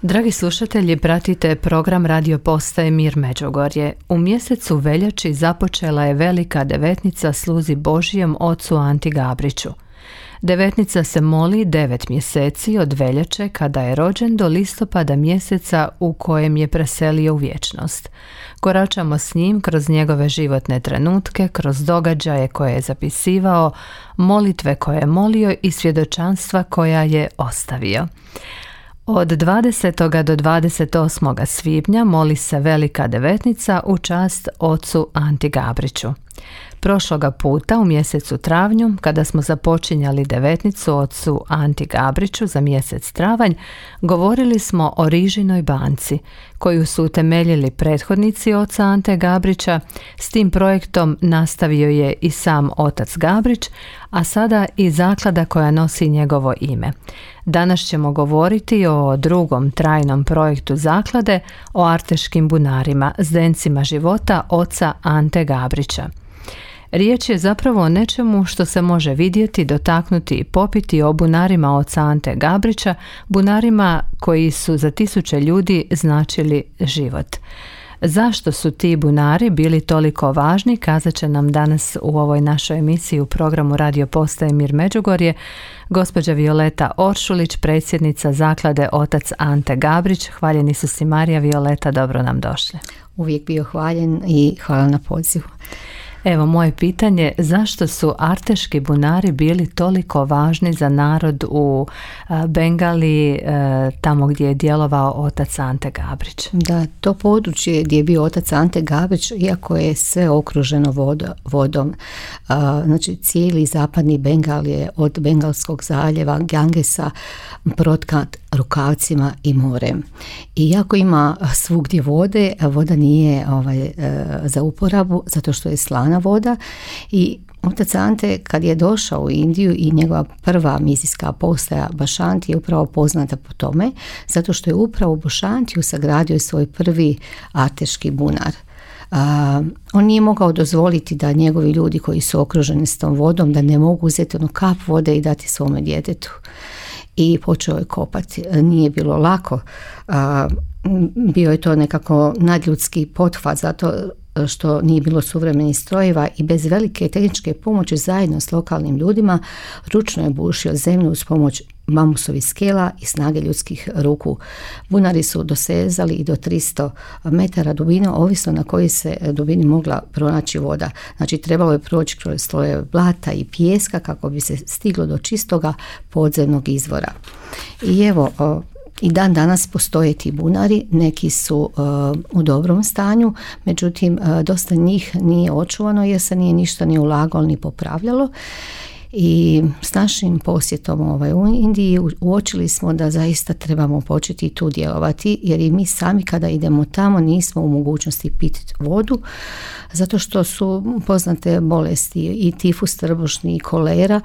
Dragi slušatelji, pratite program radio postaje Mir Međugorje. U mjesecu veljači započela je velika devetnica sluzi Božijem ocu Anti Gabriću. Devetnica se moli 9 mjeseci od veljače kada je rođen do listopada mjeseca u kojem je preselio u vječnost. Koračamo s njim kroz njegove životne trenutke, kroz događaje koje je zapisivao, molitve koje je molio i svjedočanstva koja je ostavio. Od 20. do 28. svibnja moli se velika devetnica u čast ocu Anti Gabriću. Prošloga puta u mjesecu travnju, kada smo započinjali devetnicu ocu Anti Gabriću za mjesec travanj, govorili smo o Rižinoj banci, koju su utemeljili prethodnici oca Ante Gabrića. S tim projektom nastavio je i sam otac Gabrić, a sada i zaklada koja nosi njegovo ime. Danas ćemo govoriti o drugom trajnom projektu zaklade, o Arteškim bunarima, zdencima života oca Ante Gabrića. Riječ je zapravo o nečemu što se može vidjeti, dotaknuti i popiti, o bunarima oca Ante Gabrića, bunarima koji su za tisuće ljudi značili život. Zašto su ti bunari bili toliko važni, kazat će nam danas u ovoj našoj emisiji u programu Radio Postaje Mir Međugorje gospođa Violeta Oršulić, predsjednica zaklade Otac Ante Gabrić. Hvaljeni su si Marija. Violeta, dobro nam došli. Uvijek bio hvaljen i hvala na pozivu. Evo moje pitanje, zašto su Arteški bunari bili toliko važni za narod u Bengaliji, tamo gdje je djelovao otac Ante Gabrić? Da, to područje gdje je bio otac Ante Gabrić, iako je sve okruženo vodom, znači cijeli zapadni Bengal je od Bengalskog zaljeva, Gangesa, protkat rukavcima i morem. I iako ima svugdje vode, voda nije za uporabu, zato što je slana voda. I otac Ante kad je došao u Indiju i njegova prva misijska postaja Bašanti je upravo poznata po tome, zato što je upravo u Bašantiju sagradio svoj prvi Arteški bunar. On nije mogao dozvoliti da njegovi ljudi koji su okruženi s tom vodom, da ne mogu uzeti kap vode i dati svome djetetu. I počeo je kopati. Nije bilo lako. Bio je to nekako nadljudski pothvat, zato što nije bilo suvremenih strojeva i bez velike tehničke pomoći zajedno s lokalnim ljudima ručno je bušio zemlju uz pomoć bambusovih skela i snage ljudskih ruku. Bunari su dosezali i do 300 metara dubine, ovisno na kojoj se dubini mogla pronaći voda. Znači trebalo je proći kroz sloje blata i pijeska kako bi se stiglo do čistoga podzemnog izvora. I evo, i dan danas postoje ti bunari, neki su u dobrom stanju, međutim dosta njih nije očuvano jer se nije ništa ni ulagalo ni popravljalo. I s našim posjetom u Indiji uočili smo da zaista trebamo početi tu djelovati, jer i mi sami kada idemo tamo nismo u mogućnosti piti vodu, zato što su poznate bolesti i tifus trbušni i kolera,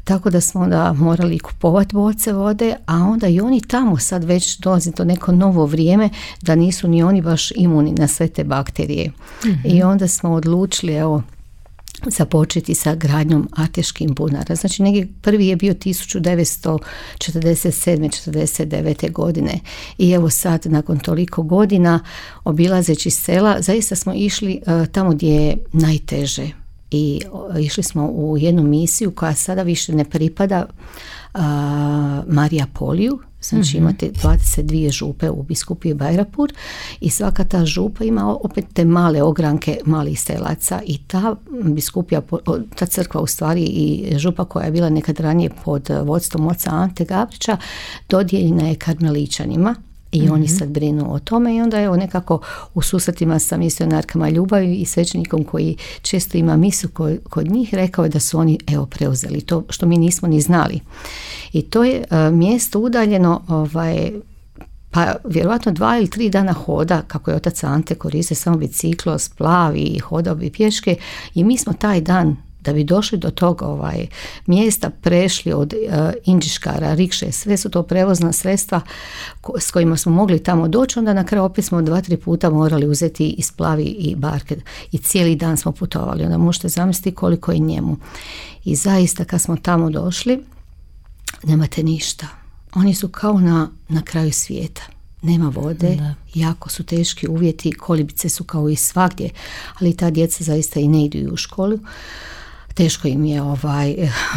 tako da smo onda morali kupovati boce vode, a onda i oni tamo sad već dolazi to neko novo vrijeme da nisu ni oni baš imuni na sve te bakterije. Mm-hmm. I onda smo odlučili započeti sa gradnjom Arteškim bunara. Znači negdje prvi je bio 1947-49. godine i evo sad nakon toliko godina obilazeći sela zaista smo išli tamo gdje je najteže i išli smo u jednu misiju koja sada više ne pripada Marija Poliju. Znači imate 22 župe u biskupiji Bajrapur i svaka ta župa ima opet te male ogranke malih selaca i ta biskupija, ta crkva u stvari i župa koja je bila nekad ranije pod vodstvom oca Ante Gabrića dodijeljena je karmeličanima. I oni sad brinu o tome i onda je nekako u susretima sa misionarkama ljubavi i svećenikom koji često ima misu kod njih rekao je da su oni preuzeli to što mi nismo ni znali. I to je mjesto udaljeno pa vjerojatno 2 ili 3 dana hoda, kako je otac Ante koristio samo biciklo, splavi i hodao bi pješke i mi smo taj dan da bi došli do tog mjesta prešli od indžiškara, rikše, sve su to prevozna sredstva s kojima smo mogli tamo doći, onda na kraju opet smo 2-3 puta morali uzeti i splavi i barke i cijeli dan smo putovali, onda možete zamisliti koliko je njemu. I zaista kad smo tamo došli, nemate ništa. Oni su kao na kraju svijeta. nema vode, jako su teški uvjeti, kolibice su kao i svagdje, ali ta djeca zaista i ne idu u školu. Teško im je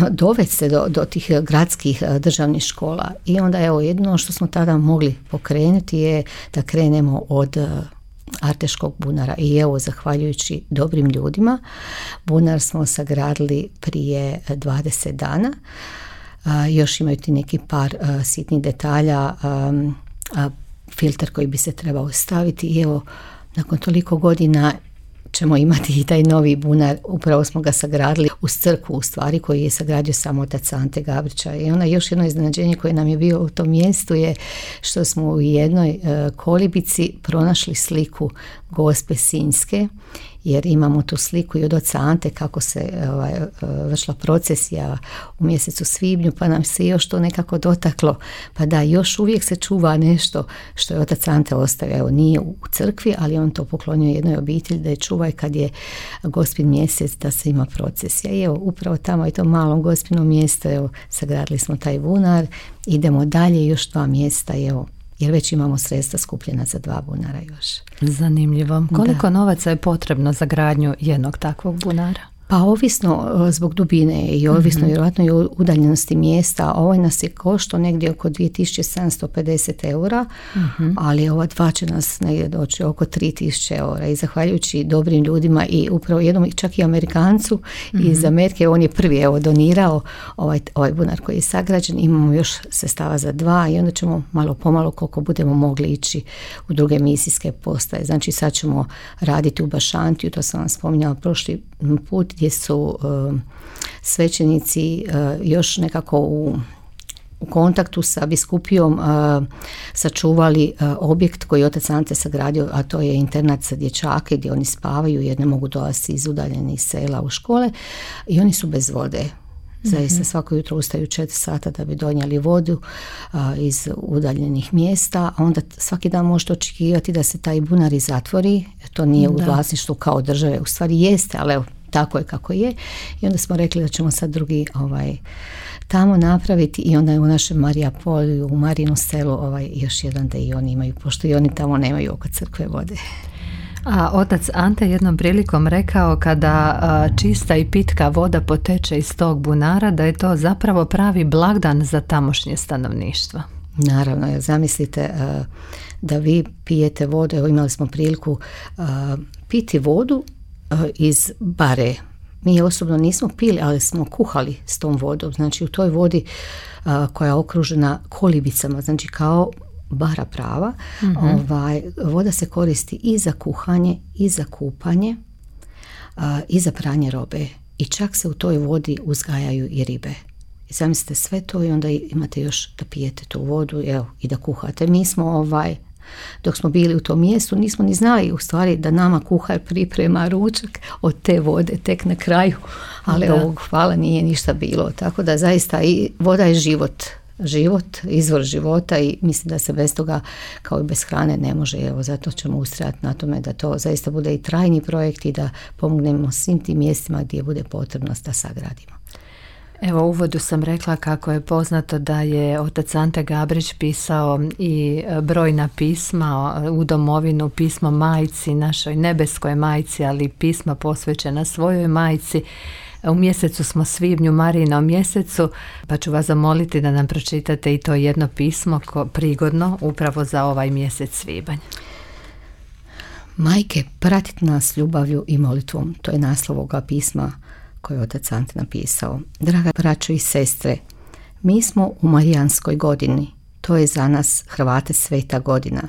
dovesti se do tih gradskih državnih škola. I onda jedino što smo tada mogli pokrenuti je da krenemo od Arteškog bunara. I zahvaljujući dobrim ljudima, bunar smo sagradili prije 20 dana. Još imaju ti neki par sitnih detalja, filter koji bi se trebao staviti i nakon toliko godina ćemo imati i taj novi bunar. Upravo smo ga sagradili uz crkvu, u stvari, koji je sagradio samo otac Ante Gabrića. I onda još jedno iznenađenje koje nam je bio u tom mjestu je što smo u jednoj kolibici pronašli sliku Gospe Sinjske, jer imamo tu sliku i od oca Ante kako se vršila procesija u mjesecu svibnju, pa nam se još to nekako dotaklo. Pa da, još uvijek se čuva nešto što je otac Ante ostavio. Nije u crkvi, ali on to poklonio jednoj obitelji da je čuvaj kad je Gospin mjesec, da se ima procesija. I upravo tamo je to malom Gospinom mjesto, sagradili smo taj bunar, idemo dalje, još 2 mjesta, jer već imamo sredstva skupljena za 2 bunara još. Zanimljivo. Koliko novaca je potrebno za gradnju jednog takvog bunara? Pa ovisno zbog dubine i ovisno vjerojatno i udaljenosti mjesta. Ovo nas je koštao negdje oko 2750 eura, ali ova 2 će nas negdje doći oko 3000 eura. I zahvaljujući dobrim ljudima i upravo jednom čak i Amerikancu iz Amerike, on je prvi donirao ovaj bunar koji je sagrađen. Imamo još sredstava za 2 i onda ćemo malo pomalo koliko budemo mogli ići u druge misijske postaje. Znači sad ćemo raditi u Bašantiju, to sam vam spominjala prošli put, gdje su svećenici još nekako u kontaktu sa biskupijom sačuvali objekt koji je otac Ante sagradio, a to je internat za dječake gdje oni spavaju jer ne mogu dolaziti iz udaljenih sela u škole i oni su bez vode. Zaista svako jutro ustaju 4 sata da bi donijeli vodu iz udaljenih mjesta, a onda svaki dan možete očekivati da se taj bunar i zatvori. To nije u vlasništvu kao države, u stvari jeste, ali tako je kako je. I onda smo rekli da ćemo sad drugi tamo napraviti i onda je u našem Marija Polju, u Marinu selu još jedan da i oni imaju, pošto i oni tamo nemaju oko crkve vode. A otac Ante jednom prilikom rekao kada čista i pitka voda poteče iz tog bunara, da je to zapravo pravi blagdan za tamošnje stanovništvo. Naravno, jer zamislite da vi pijete vodu, evo imali smo priliku piti vodu iz bare. Mi je osobno nismo pili, ali smo kuhali s tom vodom. Znači u toj vodi koja je okružena kolibicama, znači kao bara prava, voda se koristi i za kuhanje, i za kupanje, i za pranje robe. I čak se u toj vodi uzgajaju i ribe. I zamislite sve to i onda imate još da pijete tu vodu i da kuhate. Mi smo dok smo bili u tom mjestu nismo ni znali u stvari da nama kuhar priprema ručak od te vode tek na kraju, ali hvala nije ništa bilo, tako da zaista i voda je život, izvor života i mislim da se bez toga kao i bez hrane ne može. Zato ćemo ustrajati na tome da to zaista bude i trajni projekt i da pomognemo svim tim mjestima gdje bude potrebno da sagradimo. Evo, u uvodu sam rekla kako je poznato da je otac Ante Gabrić pisao i brojna pisma u domovinu, pismo majci, našoj nebeskoj majci, ali pisma posvećena svojoj majci. U mjesecu smo svibnju, Marijinom mjesecu, pa ću vas zamoliti da nam pročitate i to jedno pismo prigodno upravo za ovaj mjesec svibanj. Majke, pratite nas ljubavlju i molitvom. To je naslov ovoga pisma koje je otac Ante napisao. Draga braćo i sestre, mi smo u Marijanskoj godini. To je za nas Hrvate sveta godina.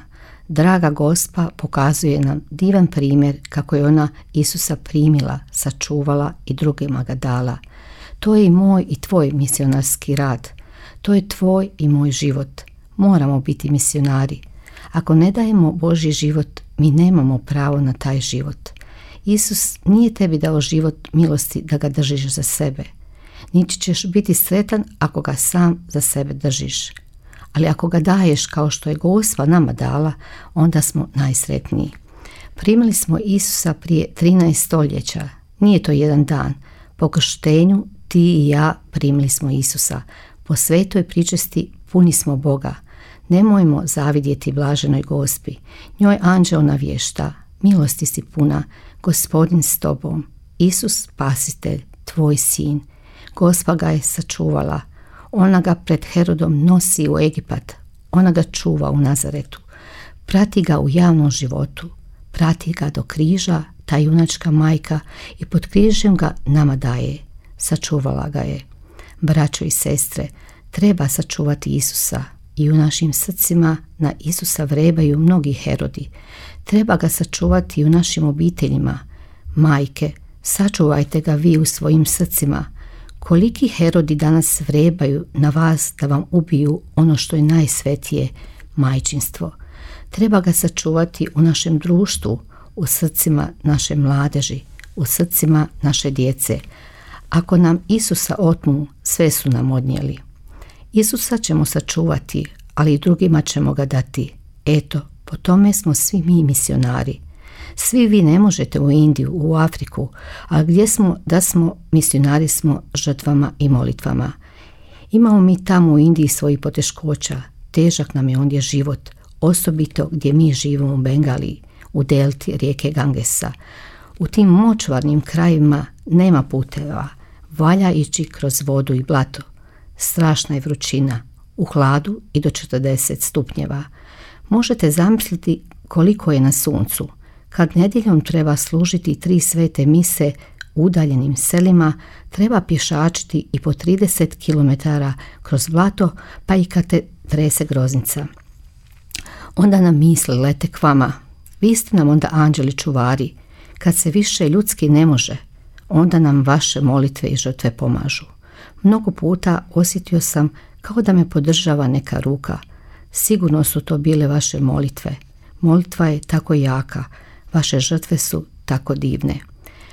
Draga Gospa pokazuje nam divan primjer kako je ona Isusa primila, sačuvala i drugima ga dala. To je i moj i tvoj misionarski rad. To je tvoj i moj život. Moramo biti misionari. Ako ne dajemo Božji život, mi nemamo pravo na taj život. Isus nije tebi dao život milosti da ga držiš za sebe. Niti ćeš biti sretan ako ga sam za sebe držiš. Ali ako ga daješ kao što je Gospa nama dala, onda smo najsretniji. Primili smo Isusa prije 13 stoljeća. Nije to jedan dan. Po krštenju ti i ja primili smo Isusa. Po svetoj pričesti puni smo Boga. Nemojmo zavidjeti blaženoj Gospi. Njoj anđeo navješta, milosti si puna, Gospodin s tobom, Isus spasitelj, tvoj sin. Gospa ga je sačuvala. Ona ga pred Herodom nosi u Egipat. Ona ga čuva u Nazaretu. Prati ga u javnom životu. Prati ga do križa, ta junačka majka, i pod križem ga nama daje. Sačuvala ga je. Braćo i sestre, treba sačuvati Isusa i u našim srcima na Isusa vrebaju mnogi Herodi. Treba ga sačuvati i u našim obiteljima. Majke, sačuvajte ga vi u svojim srcima. Koliki Herodi danas vrebaju na vas da vam ubiju ono što je najsvetije, majčinstvo. Treba ga sačuvati u našem društvu, u srcima naše mladeži, u srcima naše djece. Ako nam Isusa otmu, sve su nam odnijeli. Isusa ćemo sačuvati, ali i drugima ćemo ga dati. Eto, po tome smo svi mi misionari. Svi vi ne možete u Indiju, u Afriku, a gdje smo da smo misionari smo žrtvama i molitvama. Imamo mi tamo u Indiji svojih poteškoća, težak nam je ondje život, osobito gdje mi živimo u Bengaliji, u delti rijeke Gangesa. U tim močvarnim krajevima nema puteva, valja ići kroz vodu i blato. Strašna je vrućina, u hladu i do 40 stupnjeva. Možete zamisliti koliko je na suncu. Kad nedjeljom treba služiti 3 svete mise u udaljenim selima, treba pješačiti i po 30 km kroz blato, pa i kad te trese groznica. Onda nam misli lete k vama. Vi ste nam onda anđeli čuvari. Kad se više ljudski ne može, onda nam vaše molitve i žrtve pomažu. Mnogo puta osjetio sam kao da me podržava neka ruka. Sigurno su to bile vaše molitve. Molitva je tako jaka, vaše žrtve su tako divne.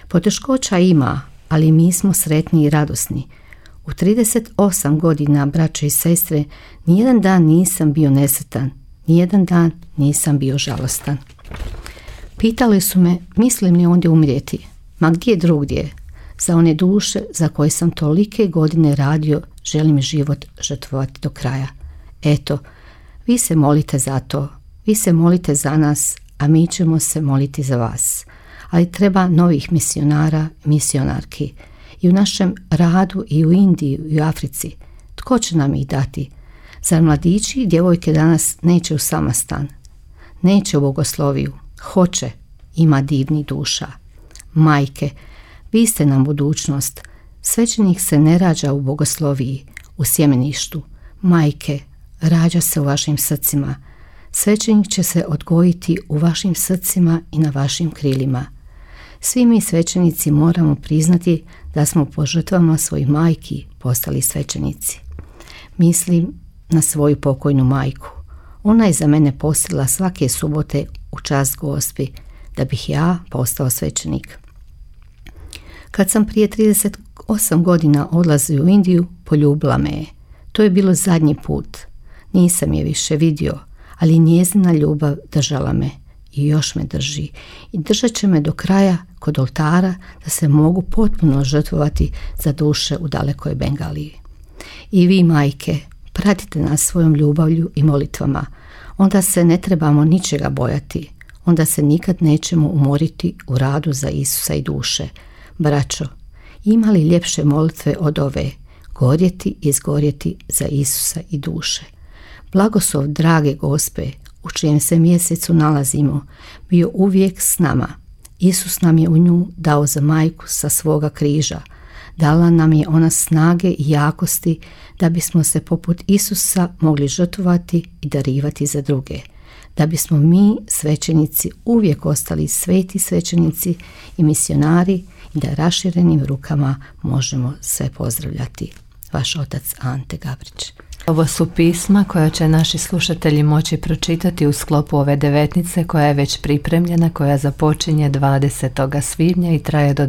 Poteškoća ima, ali mi smo sretni i radosni. U 38 godina, braće i sestre, nijedan dan nisam bio nesretan, nijedan dan nisam bio žalostan. Pitali su me, mislim li ondje umrijeti? Ma gdje drugdje? Za one duše za koje sam tolike godine radio, želim život žrtvovati do kraja. Eto, vi se molite za to, vi se molite za nas, a mi ćemo se moliti za vas. Ali treba novih misionara, misionarki. I u našem radu i u Indiji i u Africi. Tko će nam ih dati? Zar mladići i djevojke danas neće u samastan? Neće u bogosloviju. Hoće, ima divnih duša. Majke, vi ste nam budućnost. Svećenik se ne rađa u bogosloviji, u sjemeništu. Majke, rađa se u vašim srcima. Svećenik će se odgojiti u vašim srcima i na vašim krilima. Svi mi svećenici moramo priznati da smo po žrtvama svojih majki postali svećenici. Mislim na svoju pokojnu majku. Ona je za mene postila svake subote u čast Gospi, da bih ja postao svećenik. Kad sam prije 38 godina odlazio u Indiju, poljubila me je. To je bilo zadnji put. Nisam je više vidio, ali njezina ljubav držala me i još me drži. I držat će me do kraja kod oltara da se mogu potpuno žrtvovati za duše u dalekoj Bengaliji. I vi, majke, pratite nas svojom ljubavlju i molitvama. Onda se ne trebamo ničega bojati. Onda se nikad nećemo umoriti u radu za Isusa i duše. Braćo, ima li ljepše molitve od ove? Gorjeti i izgorjeti za Isusa i duše. Blagoslov drage Gospe, u čijem se mjesecu nalazimo, bio uvijek s nama. Isus nam je u nju dao za majku sa svoga križa. Dala nam je ona snage i jakosti da bismo se poput Isusa mogli žrtvovati i darivati za druge. Da bismo mi, svećenici, uvijek ostali sveti svećenici i misionari i da raširenim rukama možemo sve pozdravljati. Vaš otac Ante Gabrić. Ovo su pisma koja će naši slušatelji moći pročitati u sklopu ove devetnice koja je već pripremljena, koja započinje 20. svibnja i traje do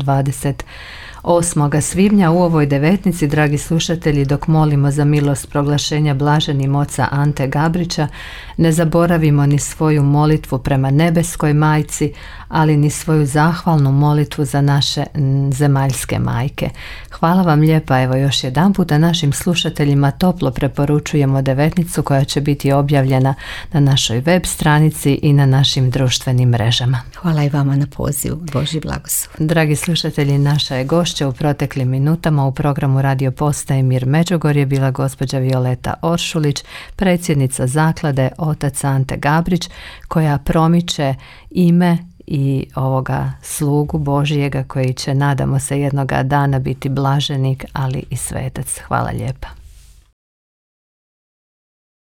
8. svibnja u ovoj devetnici, dragi slušatelji, dok molimo za milost proglašenja blaženim oca Ante Gabrića, ne zaboravimo ni svoju molitvu prema nebeskoj majci, ali ni svoju zahvalnu molitvu za naše zemaljske majke. Hvala vam lijepa, evo još jedan puta našim slušateljima toplo preporučujemo devetnicu koja će biti objavljena na našoj web stranici i na našim društvenim mrežama. Hvala i vama na pozivu. Božji blagoslov. Dragi slušatelji, naša je gošća u proteklim minutama u programu Radio Postaje Mir Međugorje bila gospođa Violeta Oršulić, predsjednica zaklade Otac Ante Gabrić, koja promiče ime i ovoga slugu Božijega koji će, nadamo se, jednoga dana biti blaženik, ali i svetac. Hvala lijepa.